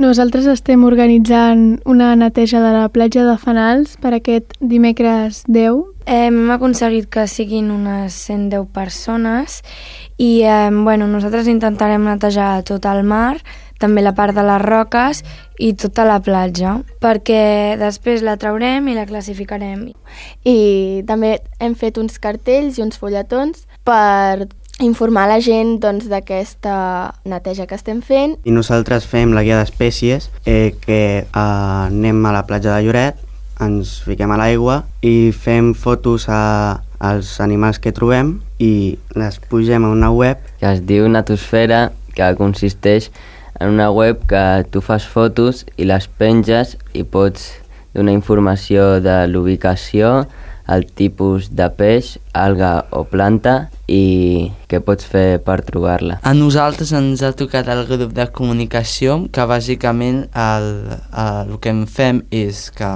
Nosaltres estem organitzant una neteja de la platja de Fanals per aquest dimecres 10. Hem aconseguit que siguin unes 110 persones i nosaltres intentarem netejar tot el mar, també la part de les roques i tota la platja, perquè després la traurem i la classificarem. I també hem fet uns cartells i uns fulletons per informar la gent d'aquesta neteja que estem fent. I nosaltres fem la guia d'espècies, que anem a la platja de Lloret, ens fiquem a l'aigua i fem fotos als animals que trobem i les pugem a una web que es diu Natosfera, que consisteix en una web que tu fas fotos i les penges i pots donar informació de l'ubicació, el tipus de peix, alga o planta i què pots fer per trobar-la. A nosaltres ens ha tocat el grup de comunicació, que bàsicament el que en fem és que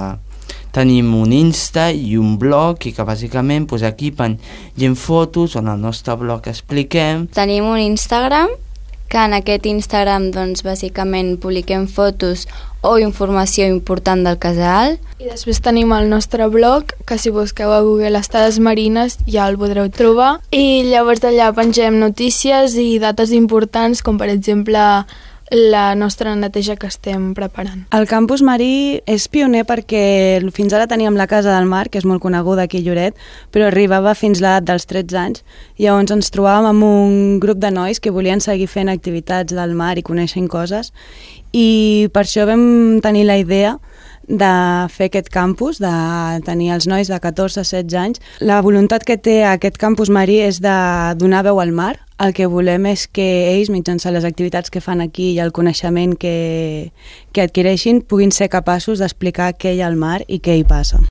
tenim un Insta i un blog i que bàsicament aquí pengem fotos on al nostre blog expliquem. Tenim un Instagram, que en aquest Instagram bàsicament publiquem fotos o informació important del casal. I després tenim el nostre blog, que si busqueu a Google Estades Marines ja el podreu trobar. I llavors d'allà pengem notícies i dates importants, com per exemple la nostra neteja que estem preparant. El campus marí és pioner perquè fins ara teníem la Casa del Mar, que és molt coneguda aquí a Lloret, però arribava fins l'edat dels 13 anys. Llavors ens trobàvem amb un grup de nois que volien seguir fent activitats del mar i coneixent coses, i per això vam tenir la idea de fer aquest campus, de tenir els nois de 14 a 16 anys. La voluntat que té aquest campus marí és de donar veu al mar. El que volem és que ells, mitjançant les activitats que fan aquí i el coneixement que adquireixin, puguin ser capaços d'explicar què hi ha al mar i què hi passa.